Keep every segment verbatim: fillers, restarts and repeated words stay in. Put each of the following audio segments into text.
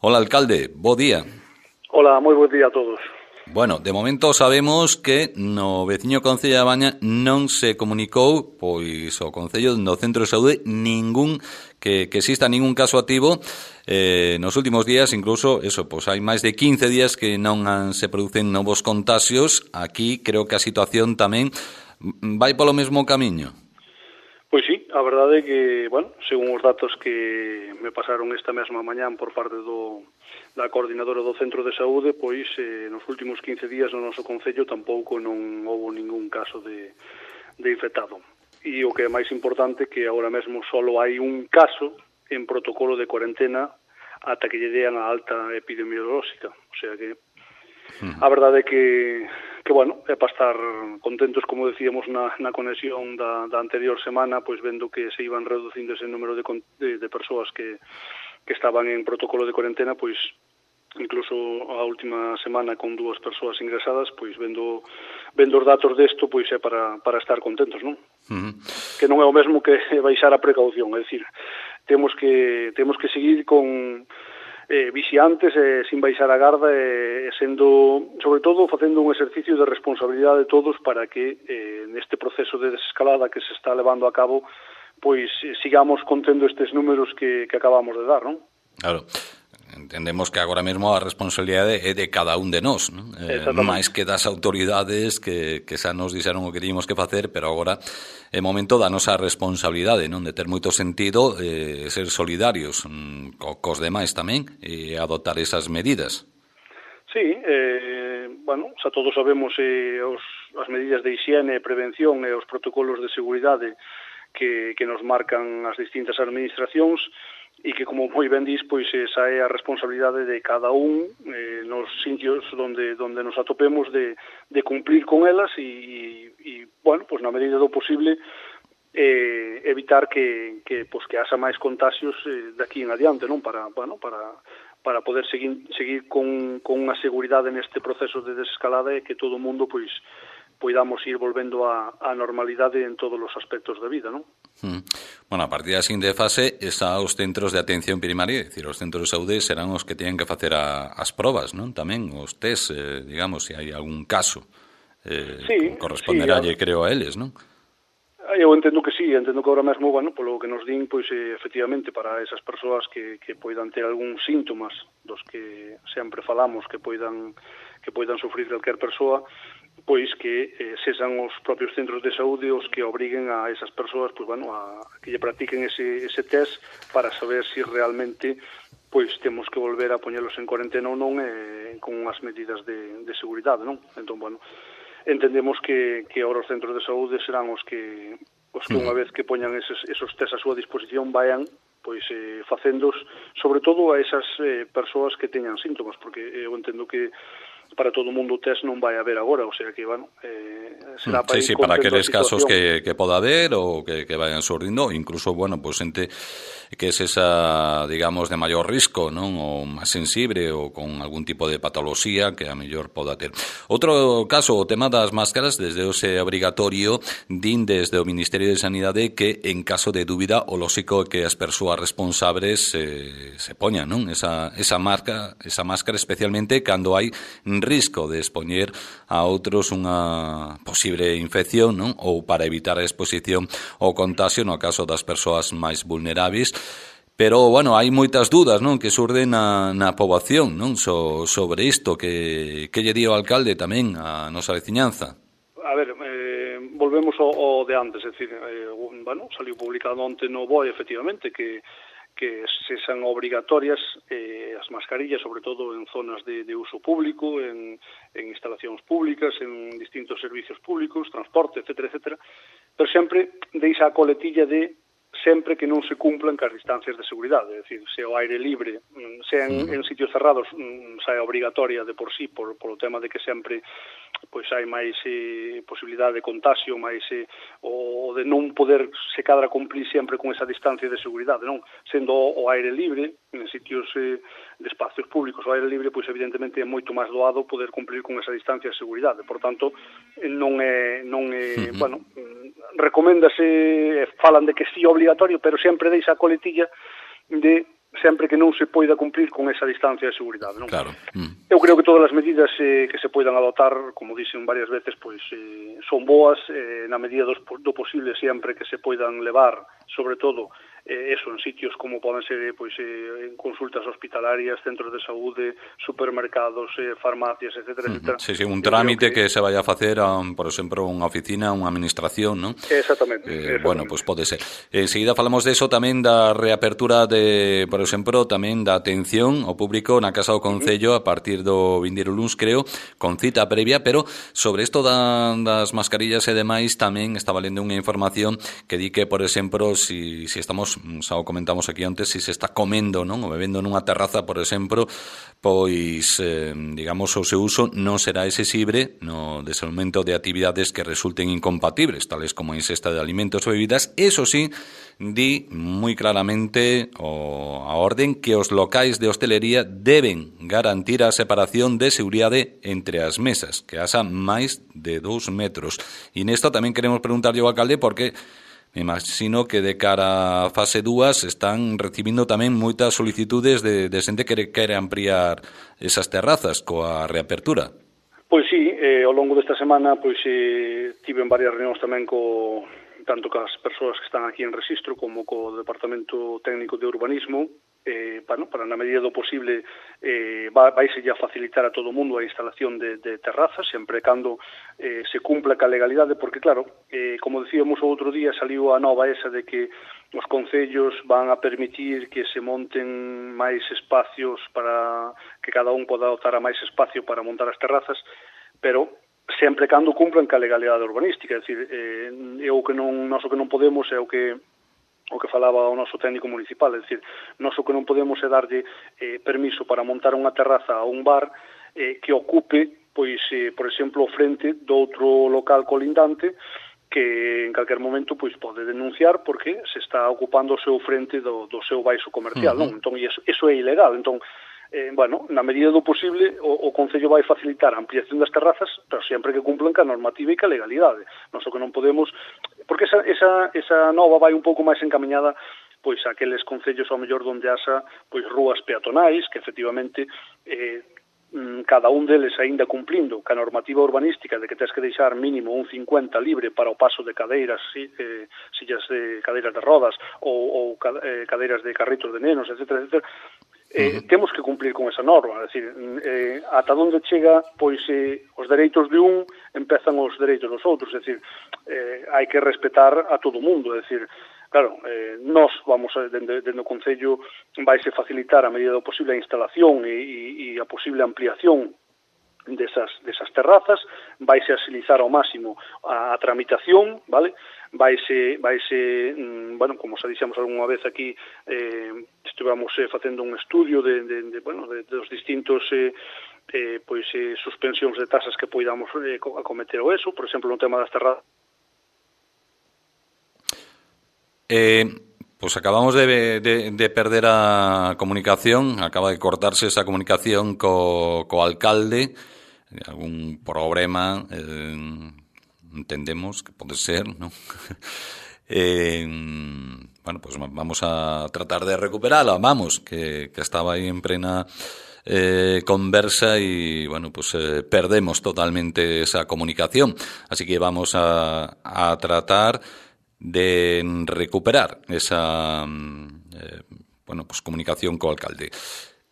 Hola, alcalde, bo día. Hola, moi bo día a todos. Bueno, de momento sabemos que no veciño Concello da Baña non se comunicou, pois, o Concello no Centro de Saúde ningún que, que exista ningún caso activo eh, nos últimos días, incluso, eso, pois hai máis de quince días que non han, se producen novos contagios. Aquí creo que a situación tamén vai polo mesmo camiño. Pois sí, a verdade é que, bueno, según os datos que me pasaron esta mesma mañán por parte do, da coordinadora do Centro de Saúde, pois eh, nos últimos quince días no noso concello tampouco non houve ningún caso de, de infectado. E o que é máis importante que agora mesmo só hai un caso en protocolo de cuarentena ata que lle dean a alta epidemiolóxica. O sea que a verdade é que, que bueno, é para estar contentos, como decíamos na, na conexión da, da anterior semana, pois vendo que se iban reducindo ese número de, de, de persoas que, que estaban en protocolo de cuarentena, pois incluso a última semana con dúas persoas ingresadas, pois vendo vendo os datos desto, pois é para, para estar contentos, non? Uh-huh. Que non é o mesmo que baixar a precaución, é dicir, temos que temos que seguir con eh, vixiantes, eh, sin baixar a garda, e eh, sendo, sobre todo, facendo un exercicio de responsabilidade de todos para que eh, neste proceso de desescalada que se está levando a cabo, pois eh, sigamos contendo estes números que, que acabamos de dar, non? Claro. Entendemos que agora mesmo a responsabilidade é de cada un de nós, non? Eh, máis que das autoridades que, que xa nos dixeron o que teníamos que facer, pero agora é momento da nosa responsabilidade, non? De ter moito sentido eh, ser solidarios mm, co, cos demais tamén e adoptar esas medidas. Sí, eh, bueno, xa todos sabemos eh, os, as medidas de higiene, prevención e os protocolos de seguridade que, que nos marcan as distintas administracións, e que, como moi ben dis, pois esa é a responsabilidade de cada un eh, nos sitios donde donde nos atopemos de, de cumplir con elas e, e bueno, pois na medida do posible eh, evitar que, que, pois, que haxa máis contagios eh, daqui en adiante, non? Para, bueno, para, para poder seguir, seguir con, con unha seguridade neste proceso de desescalada e que todo o mundo, pois, poidamos ir volvendo á normalidade en todos os aspectos da vida, non? Hmm. Bueno, a partir da seguinte fase está os centros de atención primaria, é dicir, os centros de saúde serán os que teñen que facer a, as probas, non? Tamén os test, eh, digamos, se hai algún caso eh, sí, corresponderálle, sí, creo, a eles, non? Eu entendo que sí, entendo que ahora mesmo, bueno, polo que nos din, pois, eh, efectivamente, para esas persoas que, que poidan ter algún síntomas dos que sempre falamos que poidan que poidan sufrir calquer persoa, pois que eh, sexan os propios centros de saúde os que obriguen a esas persoas, pois, bueno, a que lle practiquen ese, ese test para saber se si realmente pois temos que volver a poñelos en cuarentena ou non eh, con as medidas de, de seguridade, non? Entón, bueno, entendemos que, que ahora os centros de saúde serán os que os que unha vez que poñan esos, esos test a súa disposición vayan pois eh, facendos, sobre todo a esas eh, persoas que teñan síntomas, porque eu entendo que para todo o mundo o test non vai haber agora, o sea que, bueno, eh, será para sí, sí, para aqueles casos que, que poda haber ou que, que vayan surdindo, incluso, bueno, pues xente que es esa, digamos, de maior risco, non? Ou máis sensible ou con algún tipo de patoloxía que a mellor poda ter. Outro caso, o tema das máscaras, desde o se obrigatorio, din desde o Ministerio de Sanidade que en caso de dúbida o lóxico é que as persoas responsables eh, se poñan, non? Esa, esa marca, esa máscara, especialmente cando hai risco de expoñer a outros unha posible infección, non? Ou para evitar a exposición ao contagio no caso das persoas máis vulneráveis. Pero, bueno, hai moitas dudas, non? Que surden na, na poboación, non? So, sobre isto, que, que lle di o alcalde tamén a nosa veciñanza? A ver, eh, volvemos ao, ao de antes, é dicir, eh, bueno, saliu publicado onte no B O E, efectivamente, que que sexan obrigatorias eh, as mascarillas, sobre todo en zonas de, de uso público, en, en instalacións públicas, en distintos servicios públicos, transporte, etcétera, etcétera, pero sempre deixa a coletilla de sempre que non se cumplan cas distancias de seguridade, é dicir, se o aire libre, se en, en sitios cerrados, xa é obrigatoria de por sí, por, por o tema de que sempre pois hai máis eh, posibilidade de contagio, máis eh, o de non poder se cadra cumplir sempre con esa distancia de seguridade, non? Sendo o aire libre, en sitios eh, de espacios públicos, o aire libre, pois evidentemente é moito máis doado poder cumplir con esa distancia de seguridade. Por tanto, non é, non é, uh-huh. bueno, recoméndase, falan de que sí obligatorio, pero sempre deixa a coletilla de sempre que non se poida cumprir con esa distancia de seguridade, non? Claro. Mm. Eu creo que todas as medidas eh, que se poidan adoptar, como dixen varias veces, pois eh, son boas eh, na medida dos, do posible sempre que se poidan levar, sobre todo, eh, eso, en sitios como poden ser pois, eh, en consultas hospitalarias, centros de saúde, supermercados, eh, farmacias, etcétera, etcétera. Sí, sí, un trámite que... que se vaya a facer, a, por exemplo, unha oficina, unha administración, non? Exactamente, eh, exactamente. Bueno, pois pues pode ser. Enseguida falamos de eso tamén, da reapertura de, por exemplo, tamén da atención ao público na Casa do Concello a partir do vindeiro luns, creo, con cita previa, pero sobre isto da, das mascarillas e demais tamén estaba lendo unha información que di que, por exemplo, si, si estamos, xa o comentamos aquí antes, si se está comendo, non, ou bebendo nunha terraza, por exemplo, pois, eh, digamos, o seu uso non será exixible no desenvolvemento de actividades que resulten incompatibles, tales como a ingesta de alimentos ou bebidas. Eso sí, di moi claramente o, a orden que os locais de hostelería deben garantir a separación de seguridade entre as mesas, que haxa máis de dous metros. E nesto tamén queremos preguntarlle ao alcalde porque me imagino que de cara a fase dúas están recibindo tamén moitas solicitudes de, de xente que quere ampliar esas terrazas coa reapertura. Pois sí, eh, ao longo desta semana pois eh, tiven varias reunións tamén co tanto cas persoas que están aquí en Rexistro como co Departamento Técnico de Urbanismo, eh, bueno, para na medida do posible eh, vaise a facilitar a todo o mundo a instalación de, de terrazas, sempre cando eh, se cumpla ca legalidade, porque claro, eh, como decíamos o outro día, saliu a nova esa de que os concellos van a permitir que se monten máis espacios para que cada un poda dotar a máis espacio para montar as terrazas, pero sempre cando cumplan ca legalidade urbanística, é dicir, eh, é o que non, nós o que non podemos é o que o que falaba o noso técnico municipal, é dicir, nós o que non podemos é darlle eh, permiso para montar unha terraza a un bar eh, que ocupe, pois, eh, por exemplo, o frente do outro local colindante que en calquer momento pois pode denunciar porque se está ocupando o seu frente do, do seu baixo comercial, uh-huh. non? Entón, iso, iso é ilegal, entón, eh, bueno, na medida do posible o, o Concello vai facilitar a ampliación das terrazas, pero sempre que cumplan ca normativa e ca legalidade. Nós o que non podemos, porque esa, esa, esa nova vai un pouco máis encaminhada pois aqueles concellos ao mellor onde haxa pois rúas peatonais, que efectivamente eh, cada un deles aínda cumplindo ca normativa urbanística de que tens que deixar mínimo un cincuenta libre para o paso de cadeiras, eh, sillas de cadeiras de rodas ou, ou eh, cadeiras de carritos de nenos, etcétera, etcétera. Eh, uh-huh. Temos que cumplir con esa norma, é dicir, eh, ata onde chega pois eh, os dereitos de un empezan os dereitos dos outros, é dicir, eh, hai que respetar a todo o mundo, é dicir, claro, eh, nós vamos, dende, dende o Concello vaise facilitar a medida do posible a instalación e, e, e a posible ampliación desas, desas terrazas, vaise agilizar ao máximo a, a tramitación, vale? Vaise, vaise, mm, bueno, como xa dixemos algunha vez aquí, eh, estivemos eh, facendo un estudio de, de, de, bueno, de, de dos distintos eh, eh, pois, eh, suspensións de tasas que poidamos eh, acometer o eso, por exemplo, no tema das terrazas. Eh, pues acabamos de, de, de perder a comunicación, acaba de cortarse esa comunicación co, co alcalde, algún problema, eh, entendemos que pode ser, ¿no? eh, bueno, pues vamos a tratar de recuperarla, vamos, que, que estaba ahí en plena eh, conversa y, bueno, pues eh, perdemos totalmente esa comunicación, así que vamos a, a tratar de recuperar esa eh, bueno, pues comunicación co alcalde.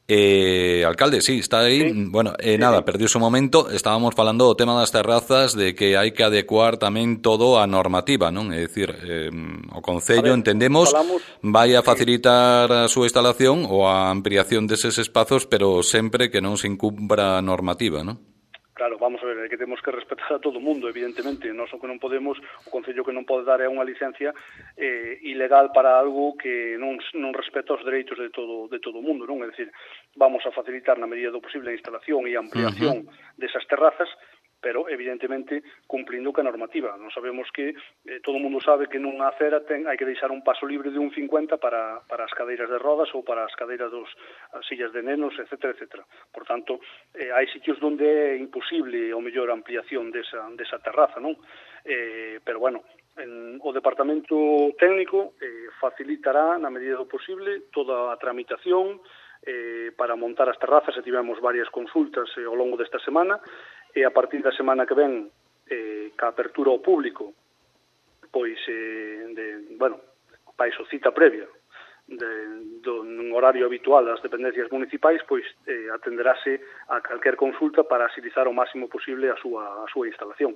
Eh, alcalde, sí, está aí. Sí. Bueno, eh, sí, nada, sí. Perdiu un momento. Estábamos falando do tema das terrazas, de que hai que adecuar tamén todo a normativa, non? É dicir, eh, o Concello, ver, entendemos, falamos, vai a facilitar sí. a súa instalación ou a ampliación deses espazos, pero sempre que non se incumpra a normativa, non? Claro, vamos a ver, é que temos que respetar a todo o mundo, evidentemente. Nós o que non podemos, o Concello que non pode dar é unha licencia eh, ilegal para algo que non, non respeta os dereitos de todo de todo o mundo, non? É dicir, vamos a facilitar na medida do posible a instalación e a ampliación uh-huh. desas terrazas, pero evidentemente cumplindo ca normativa. Non sabemos que, eh, todo o mundo sabe que nunha acera ten, hai que deixar un paso libre de un cincuenta para, para as cadeiras de rodas ou para as cadeiras dos as sillas de nenos, etcétera, etcétera. Por tanto, eh, hai sitios onde é imposible o mellor ampliación desa, desa terraza, non? Eh, pero bueno, en, o Departamento Técnico eh, facilitará, na medida do posible, toda a tramitación eh, para montar as terrazas, e tivemos varias consultas eh, ao longo desta semana, e a partir da semana que ven, eh, ca apertura ao público, pois, eh, de, bueno, paixo cita previa, de, do, nun horario habitual das dependencias municipais, pois eh, atenderase a calquer consulta para agilizar o máximo posible a súa, a súa instalación.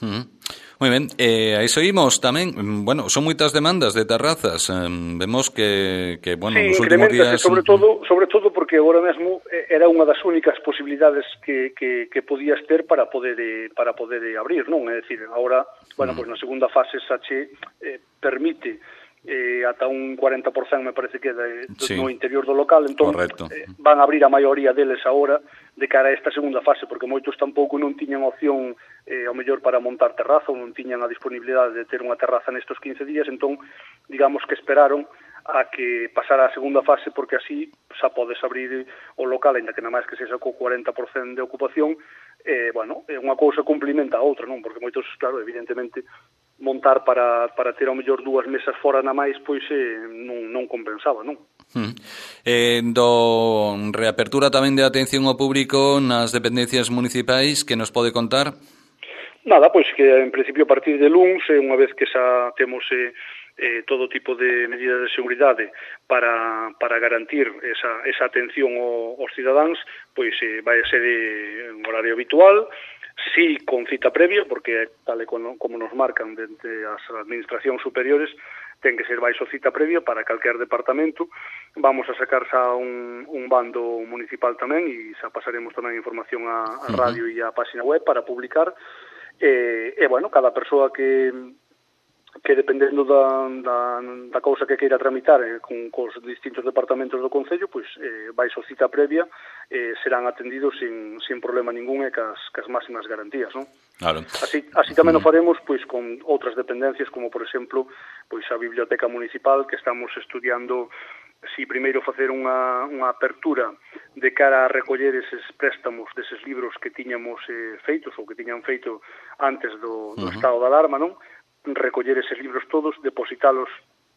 Uh-huh. Moi ben, eh, aí seguimos tamén, bueno, son moitas demandas de terrazas, eh, vemos que, que bueno, sí, nos últimos días... sobre todo, sobre todo porque agora mesmo era unha das únicas posibilidades que, que, que podías ter para poder para poder abrir, non? É dicir, agora, bueno, uh-huh. pues na segunda fase Sache eh, permite eh, ata un cuarenta por cento me parece que de, sí. no interior do local, entón eh, van a abrir a maioría deles agora de cara a esta segunda fase, porque moitos tampouco non tiñan opción eh, ao mellor para montar terraza, ou non tiñan a disponibilidade de ter unha terraza nestos quince días, entón digamos que esperaron a que pasara a segunda fase, porque así xa podes abrir o local, ainda que nada máis que sexa co cuarenta por cento de ocupación. Eh, bueno, unha cousa complementa a outra, non? Porque moitos, claro, evidentemente montar para, para ter ao mellor dúas mesas fora na máis, pois eh, non, non compensaba, non? Hmm. Eh, do reapertura tamén de atención ao público nas dependencias municipais, que nos pode contar? Nada, pois que en principio a partir de luns, eh, unha vez que xa temos eh, eh, todo tipo de medidas de seguridade para, para garantir esa, esa atención ao, aos cidadáns, pois eh, vai a ser eh, en horario habitual, sí con cita previa, porque tal e como, como nos marcan dentro as administracións superiores, ten que ser baixo cita previa para calquer departamento. Vamos a sacar xa un, un bando municipal tamén, e xa pasaremos tamén información a, a radio e a página web para publicar. E, e bueno, cada persoa que que dependendo da, da, da cousa que queira tramitar eh, con cos distintos departamentos do Concello, pois eh, vai so cita previa, eh, serán atendidos sin, sin problema ningún e cas, cas máximas garantías, non? Claro. Así, así tamén mm. o faremos pois con outras dependencias, como por exemplo pois a Biblioteca Municipal, que estamos estudiando si primeiro facer unha, unha apertura de cara a recoller eses préstamos deses libros que tiñamos eh, feitos ou que tiñan feito antes do, do uh-huh. estado de alarma, non? Recoller eses libros todos, depositalos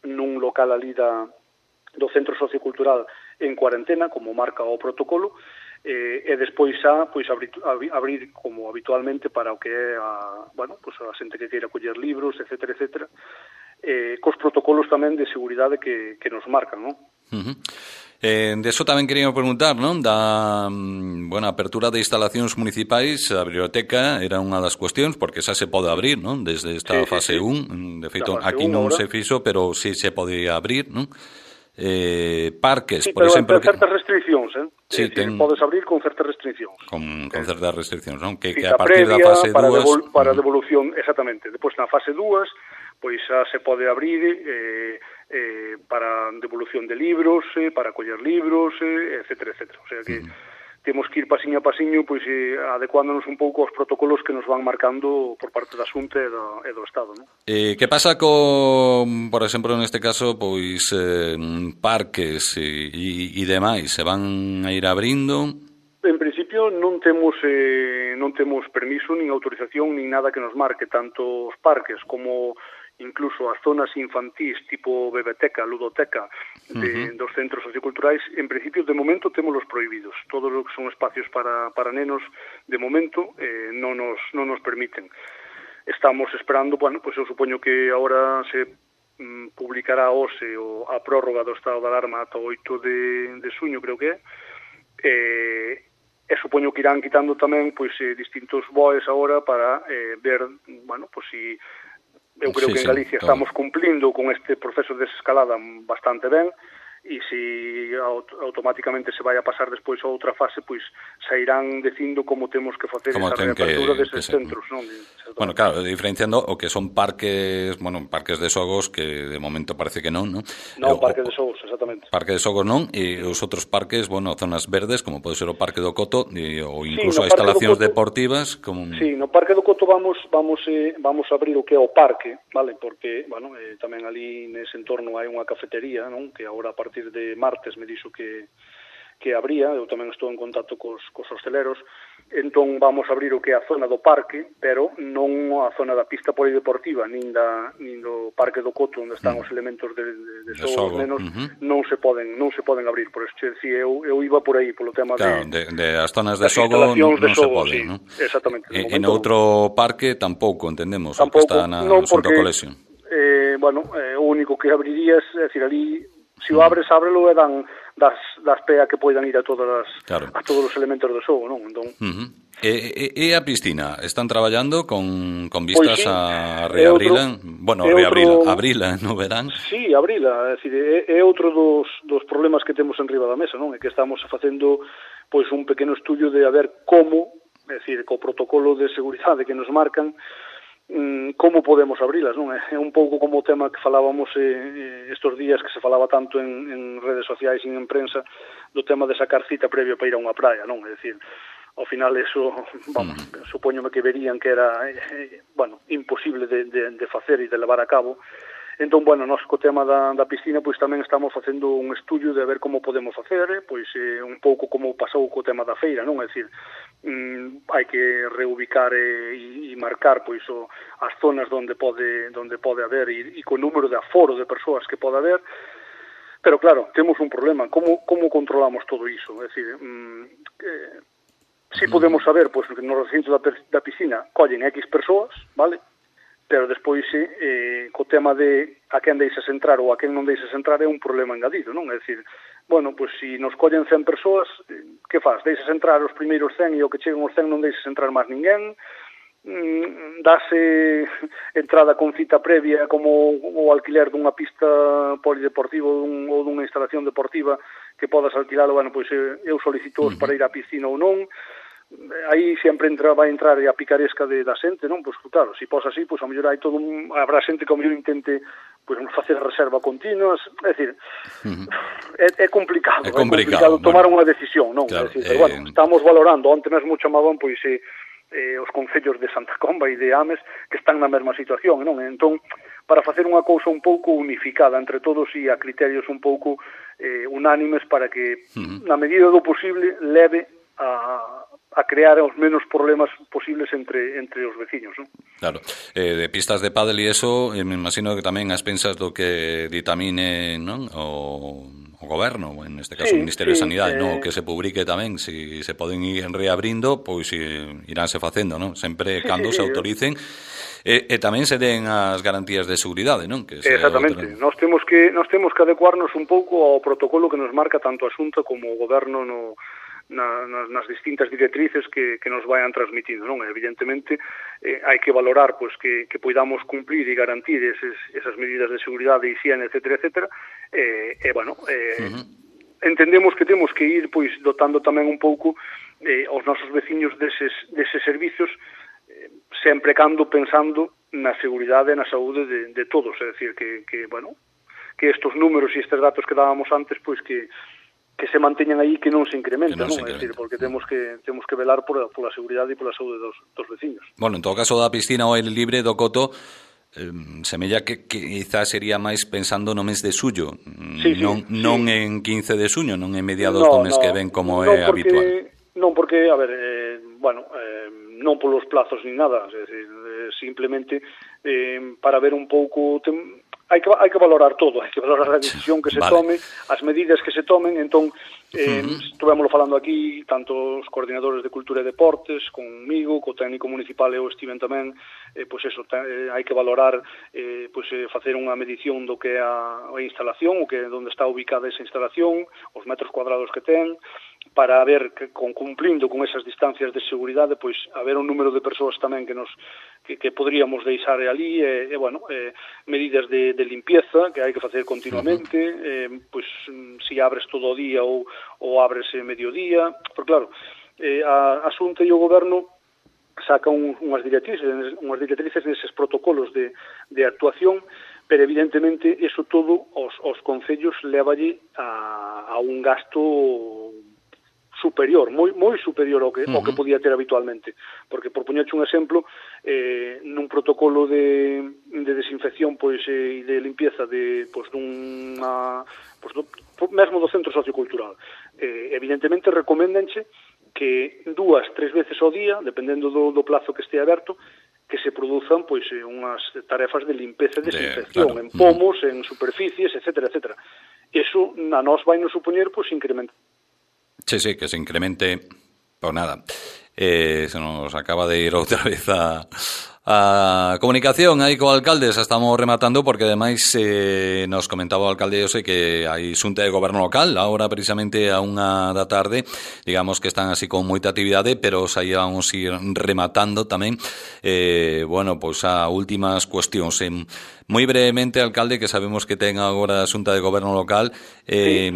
nun local ali da, do Centro Sociocultural en cuarentena, como marca o protocolo, eh, e despois xa pois abrir, abrir como habitualmente para o que é a, bueno, pues a xente que queira coller libros, etcétera, etcétera, eh, cos protocolos tamén de seguridade que, que nos marcan, non? Uh-huh. Eh, de eso tamén quería preguntar, non? Da, bueno, apertura de instalacións municipais, a biblioteca era unha das cuestións, porque xa se pode abrir, non? Desde esta sí, fase sí, sí. un, de feito, aquí non ahora se fixo, pero sí se podía abrir, non? Eh, parques, sí, por pero exemplo, con certas restriccións, eh? Sí, sí, ten... podes abrir con certas restriccións. Con, con certas restriccións, non? Que, que a partir previa, da fase para dúas... Devol, para devolución, exactamente. Depois, na fase dúas, pois xa se pode abrir eh, eh, para devolución de libros, eh, para coller libros, eh, etcétera, etcétera. O sea que mm. temos que ir pasiño a pasiño, pois eh, adecuándonos un pouco aos protocolos que nos van marcando por parte da Xunta e do, e do Estado, non? Eh, que pasa con, por exemplo, neste caso, pois eh, parques e, e, e demais, se van a ir abrindo? En principio non temos eh, non temos permiso, nin autorización, nin nada que nos marque, tanto os parques como incluso as zonas infantís tipo bebeteca, ludoteca de, uh-huh. dos centros socioculturais. En principio, de momento, témolos prohibidos. Todos os que son espacios para, para nenos, de momento, eh, non, nos, non nos permiten. Estamos esperando, bueno, pues eu supoño que agora se mm, publicará hoxe o, a prórroga do estado de alarma ata o oito de, de suño, creo que é. Eh, e supoño que irán quitando tamén pois eh, distintos boes agora para eh, ver, bueno, pois si eu creo sí, que en Galicia sí, estamos cumplindo con este proceso de desescalada bastante ben, e se automáticamente se vai a pasar despois a outra fase, pois xa irán dicindo como temos que facer como esa reapertura que, deses que centros, non? Bueno, claro, diferenciando o que son parques, bueno, parques de xogos que de momento parece que non, non? Non, parques de xogos, exactamente. Parque de xogos non, e os outros parques, bueno, zonas verdes, como pode ser o Parque do Coto, e, ou incluso sí, a instalacións deportivas, como... Sí, no Parque do Coto vamos vamos eh, vamos a abrir o que é o parque, vale? Porque, bueno, eh, tamén ali nese entorno hai unha cafetería, non? Que agora a partir de martes me dixo que que abría, eu tamén estou en contacto cos, cos hosteleros, entón vamos a abrir o que é a zona do parque, pero non a zona da pista polideportiva, nin, da, nin do Parque do Coto, onde están os elementos de, de, de xogo, menos, uh-huh. non se poden non se poden abrir, por eso decía, eu, eu iba por aí, polo tema claro, de, de, de as zonas de xogo non, non se poden, sí, non? Exactamente. E en outro parque tampouco, entendemos, tampouco, o que está na non, Asunto porque, Colexio. Eh, bueno, eh, o único que abrirías, é dicir, ali, se o abres, ábrelo e dan das, das pea que poidan ir a todas as, claro. a todos os elementos do xogo, non? Entón, uh-huh. E, e, e a piscina, están traballando con, con vistas pois sí, a reabrila? Outro, bueno, reabrila, outro, abrila no verán? Sí, abrila, é, dicir, é, é outro dos, dos problemas que temos en riba da mesa, non? É que estamos facendo pois un pequeno estudio de a ver como, é dicir, co protocolo de seguridade que nos marcan, como podemos abrilas, non? É un pouco como o tema que falábamos eh, estos días, que se falaba tanto en, en redes sociais e en prensa, do tema de sacar cita previa para ir a unha praia, non? É dicir, ao final eso, vamos, uh-huh. supoñome que verían que era, eh, bueno, imposible de, de, de facer e de levar a cabo. Entón, bueno, nós co tema da, da piscina, pois tamén estamos facendo un estudio de ver como podemos facer, pois eh, un pouco como pasou co tema da feira, non? É dicir, mm, hai que reubicar e, e marcar pois o, as zonas onde pode, onde pode haber e, e co número de aforo de persoas que pode haber. Pero claro, temos un problema, como, como controlamos todo iso? É dicir, mm, eh, si podemos saber, pois, que no recinto da, da piscina collen X persoas, vale? Pero despois, eh, co tema de a quen deixas entrar ou a quen non deixas entrar é un problema engadido, non? É dicir, bueno, pois, si nos collen cen persoas, que faz? Deixas entrar os primeiros cen e o que chegan os cen non deixas entrar máis ninguén, mm, dase entrada con cita previa como o alquiler dunha pista polideportiva ou, dun, ou dunha instalación deportiva que podas alquilalo, bueno, pois eu solicito uh-huh. para ir á piscina ou non. Aí sempre entra, vai entrar a picaresca de, da xente, non? Pois claro, se pos así, pois a mellor hai todo un, habrá xente que a mellor intente pois facer reserva continuas, é dicir, uh-huh. é, é complicado, é complicado, é complicado tomar bueno, unha decisión, non? Claro, é dicir, eh... pero, bueno, estamos valorando, onte mesmo chamaban pois eh, eh, os concellos de Santa Comba e de Ames que están na mesma situación, non? Entón, para facer unha cousa un pouco unificada entre todos e a criterios un pouco eh, unánimes para que, uh-huh. na medida do posible, leve a a crear os menos problemas posibles entre entre os veciños, non? Claro, eh, de pistas de pádel e eso, eh, me imagino que tamén as pensas do que ditamine, non? O, o goberno, en este caso sí, o Ministerio sí, de Sanidade, eh... non? Que se publique tamén, se si se poden ir reabrindo, pois eh, iránse facendo, non? Sempre sí, cando sí, se autoricen e, e tamén se den as garantías de seguridade, non? Que exactamente, outra... nós temos que nós temos que adecuarnos un pouco ao protocolo que nos marca tanto a Xunta como o goberno no Na, nas, nas distintas directrices que, que nos vayan transmitindo, non? Evidentemente, eh, hai que valorar pois, que, que poidamos cumplir e garantir eses, esas medidas de seguridade e higiene, etcétera, etcétera, e, eh, eh, bueno, eh, uh-huh. entendemos que temos que ir pois dotando tamén un pouco eh, aos nosos veciños deses, deses servicios, eh, sempre cando pensando na seguridade e na saúde de, de todos, é dicir, que, que, bueno, que estes números e estes datos que dábamos antes, pois que que se manteñan aí, que non se incrementa, non? É dicir, porque temos que temos que velar por a, por a seguridade e pola saúde dos, dos veciños. Bueno, en todo caso da piscina ao aire libre do Coto, eh, semella que, que quizás sería máis pensando no mes de xullo, sí, sí, non, sí. non en quince de xuño, non en mediados no, do mes no, que ven como no é porque, habitual. Non porque, a ver, eh, bueno, eh, non polos plazos ni nada, é dicir, eh, simplemente eh, para ver un pouco... Tem, hai que, hai que valorar todo, hai que valorar a decisión que se vale. tome, as medidas que se tomen, entón, eh, uh-huh. estuvémoslo falando aquí, tanto os coordinadores de Cultura e Deportes, conmigo, co técnico municipal eu estiven tamén, eh, pois eso, eh, hai que valorar, eh, pois eh, facer unha medición do que é a, a instalación, o que é onde está ubicada esa instalación, os metros cuadrados que ten, para ver que con, cumplindo con esas distancias de seguridade, pois haber un número de persoas tamén que nos que, que podríamos deixar ali, e, e bueno, eh, medidas de, de limpieza que hai que facer continuamente, uh-huh. eh, pois si abres todo o día ou, ou abres mediodía, porque claro, eh, a, a Xunta e o Goberno saca un, unhas directrices, unhas directrices neses protocolos de, de actuación, pero evidentemente eso todo os, os concellos levalle a, a un gasto superior, moi moi superior ao que, uh-huh. ao que podía ter habitualmente, porque por poñerche un exemplo, eh, nun protocolo de, de desinfección pois e de limpieza de pois dunha pois do, mesmo do centro sociocultural, eh, evidentemente recoméndanche que dúas, tres veces ao día, dependendo do, do plazo que este aberto, que se produzan pois unhas tarefas de limpeza e desinfección, claro, en pomos, uh-huh. en superficies, etcétera, etcétera. Eso a nós vai nos supoñer pois incrementar. Sí, sí, que se incremente por nada. Eh, se nos acaba de ir outra vez a, a comunicación aí co alcalde, xa estamos rematando porque ademais eh, nos comentaba o alcalde, eu sei que hai xunta de goberno local agora precisamente a unha da tarde, digamos que están así con moita actividade, pero xa íbamos ir rematando tamén eh, bueno, pois a últimas cuestións. En moi brevemente, alcalde, que sabemos que ten agora a xunta de goberno local, eh,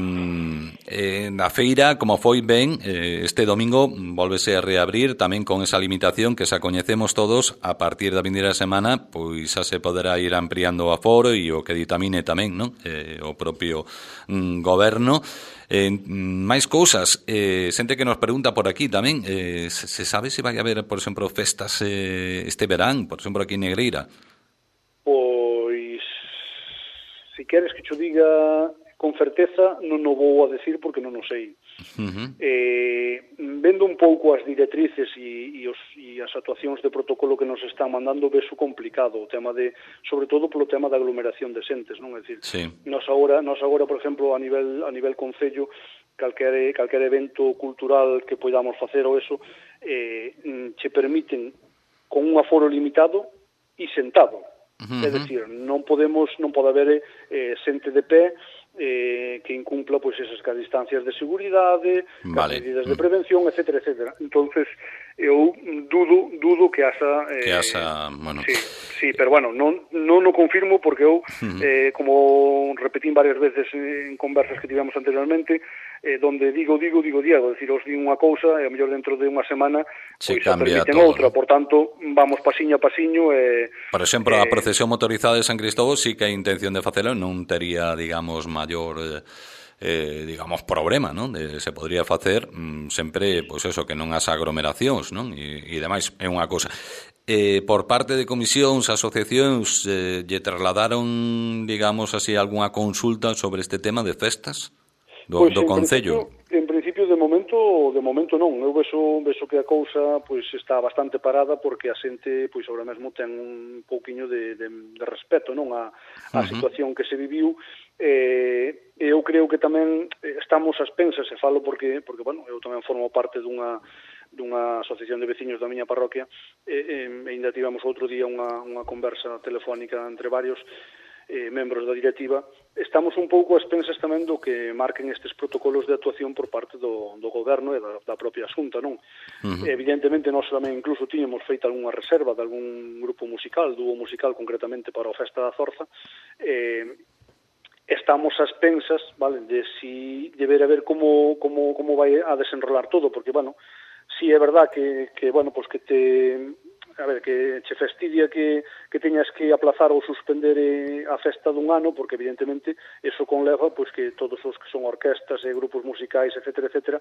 eh, na feira, como foi ben, eh, este domingo volvese a reabrir tamén con esa limitación que xa coñecemos todos. A partir da vindeira semana, pois xa se poderá ir ampliando o aforo e o que ditamine tamén, non? Eh, o propio mm, goberno. Eh, máis cousas, eh, xente que nos pregunta por aquí tamén, eh, se, se sabe se vai haber, por exemplo, festas eh, este verán, por exemplo, aquí en Negreira? Pois, se queres que cho diga con certeza, non o vou a decir porque non o sei. Uh-huh. Eh, vendo un pouco as directrices e, e, os, e as actuacións de protocolo que nos están mandando, veso complicado o tema de, sobre todo polo tema da aglomeración de xentes, non? É dicir, sí. nos agora, nos agora, por exemplo, a nivel a nivel concello, calquer, calquer evento cultural que podamos facer ou eso, eh, che permiten con un aforo limitado e sentado. Uh-huh. É dicir, non podemos, non pode haber eh, xente de pé eh, que incumpla pois esas distancias de seguridade, vale. As medidas de prevención, etcétera, etcétera. Entonces, eu dudo, dudo que haxa... Eh, que haxa, bueno... Sí, sí, pero bueno, non, non o confirmo porque eu, uh-huh. eh, como repetín varias veces en conversas que tivemos anteriormente, eh, donde digo, digo, digo, digo, decir, os di unha cousa e a mellor dentro de unha semana se pois cambia permiten todo, outra, ¿no? Por tanto, vamos pasiño a pasiño e... Por exemplo, eh, a procesión motorizada de San Cristóbal sí que hai intención de facelo, non tería, digamos, maior... Eh, eh, digamos, problema, non? De, se podría facer mm, sempre, pois eso, que non as aglomeracións, non? E, e demais, é unha cousa. Eh, por parte de comisións, asociacións, eh, lle trasladaron, digamos así, algunha consulta sobre este tema de festas do, pois, do Concello? En principio, de momento, de momento non. Eu vexo, vexo que a cousa pois está bastante parada porque a xente, pois agora mesmo ten un pouquiño de, de, de respeto, non? A, a uh-huh. situación que se viviu. Eh, eu creo que tamén estamos ás pensas, e falo porque, porque bueno, eu tamén formo parte dunha dunha asociación de veciños da miña parroquia e, e ainda tivemos outro día unha, unha conversa telefónica entre varios eh, membros da directiva. Estamos un pouco ás pensas tamén do que marquen estes protocolos de actuación por parte do, do goberno e da, da propia Xunta, non? Uh-huh. Evidentemente, nós tamén incluso tiñamos feito algunha reserva de algún grupo musical, dúo musical concretamente para o Festa da Zorza, eh, estamos ás pensas, vale, de si deber a ver como, como, como vai a desenrolar todo, porque, bueno, si é verdad que, que bueno, pues que te... a ver, que che fastidia que, que teñas que aplazar ou suspender eh, a festa dun ano, porque evidentemente eso conleva pois que todos os que son orquestas e grupos musicais, etcétera, etcétera,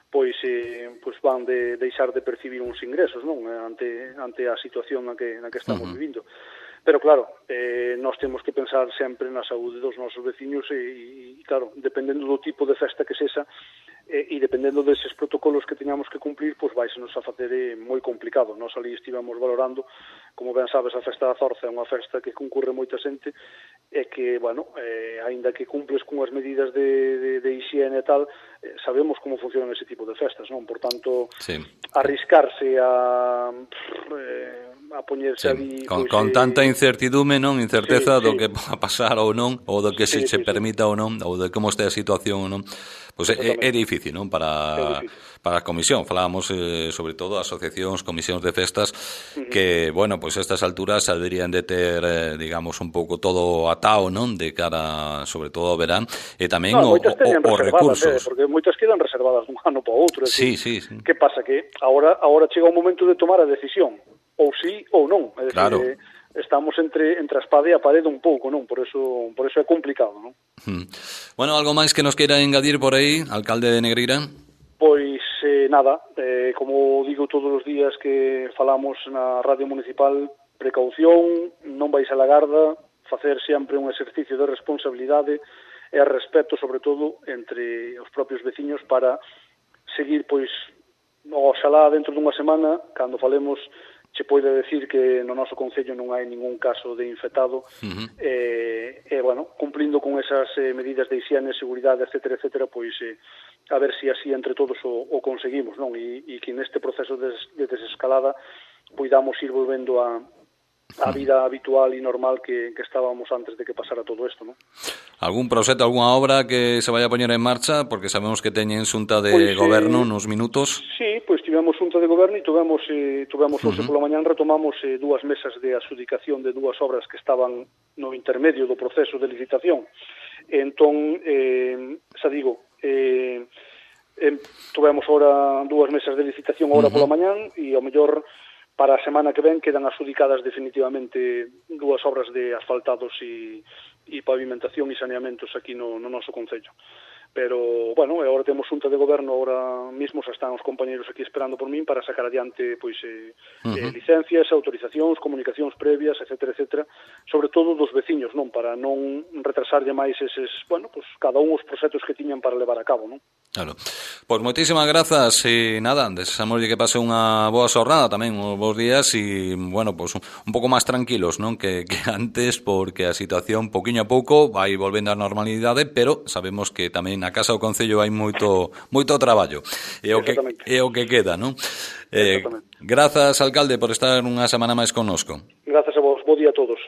pois eh, pois van de deixar de percibir uns ingresos, non? Ante ante a situación na que na que estamos uh-huh. vivindo. Pero claro, eh, nós temos que pensar sempre na saúde dos nosos veciños e, e claro, dependendo do tipo de festa que sexa e, e dependendo deses protocolos que teñamos que cumplir, pois vais-nos a facer eh, moi complicado. Nós ali estivemos valorando, como ben sabes, a Festa da Zorza é unha festa que concurre moita xente e que, bueno, eh, aínda que cumples con as medidas de, de, de higiene e tal, eh, sabemos como funcionan ese tipo de festas, non? Por tanto, sí. arriscarse a... Eh, a poñerse sí, ali con, pois, con eh, tanta incertidume, non, incerteza sí, do sí. que va a pasar ou non, ou do que sí, se, se sí, permita sí. ou non, ou de como este a situación ou non, pois é, é difícil, non, para difícil. Para a comisión. Falábamos eh, sobre todo asociacións, comisións de festas uh-huh. que, bueno, pois a estas alturas deberían de ter, eh, digamos, un pouco todo atao, non, de cara sobre todo ao verán, e tamén no, o, o, os recursos. Eh, porque moitas quedan reservadas dun ano para outro. Sí, sí, sí. Que pasa? Que agora, agora chega o momento de tomar a decisión. Ou sí ou non, é dicir, claro. eh, estamos entre entre a espada e a parede un pouco, non? Por eso por eso é complicado, non? Hmm. Bueno, algo máis que nos queira engadir por aí, alcalde de Negreira? Pois eh, nada, eh, como digo todos os días que falamos na radio municipal, precaución, non vais a la garda, facer sempre un exercicio de responsabilidade e respeto, sobre todo, entre os propios veciños para seguir, pois, oxalá dentro dunha semana, cando falemos, che poida decir que no noso concello non hai ningún caso de infectado, uh-huh. e, e, bueno, cumplindo con esas eh, medidas de higiene, seguridade, etcétera, etcétera, pois, eh, a ver se así entre todos o, o conseguimos, non? E, e que neste proceso de, de desescalada poidamos ir volvendo a a vida habitual e normal que, que estábamos antes de que pasara todo isto, ¿no? Algún proxecto, algunha obra que se vaya a poñer en marcha, porque sabemos que teñen xunta de pois, goberno eh, nos minutos? Sí, pois tivemos xunta de goberno e tivemos, eh, tivemos hoxe uh-huh. pola mañán retomamos eh, dúas mesas de adxudicación de dúas obras que estaban no intermedio do proceso de licitación. Entón, eh, xa digo, eh, eh, tivemos ora dúas mesas de licitación agora uh-huh. pola mañán e ao mellor para a semana que ven quedan adxudicadas definitivamente dúas obras de asfaltados e, e pavimentación e saneamentos aquí no, no noso concello. Pero, bueno, agora temos xunta de goberno, agora mismo xa están os compañeros aquí esperando por min para sacar adiante pois eh, uh-huh. eh, licencias, autorizacións, comunicacións previas, etcétera, etcétera, sobre todo dos veciños, non? Para non retrasarlle máis eses, bueno, pues cada un os proxectos que tiñan para levar a cabo, non? Claro. Pois moitísimas grazas e nada, desexamos que pase unha boa xornada tamén, uns bons días e, bueno, pois un, un pouco máis tranquilos, non? Que, que antes, porque a situación pouquiño a pouco vai volvendo á normalidade, pero sabemos que tamén na casa do concello hai moito moito traballo. É o que é o que queda, non? Eh, grazas, alcalde, por estar unha semana máis connosco. Grazas a vos, bo día a todos.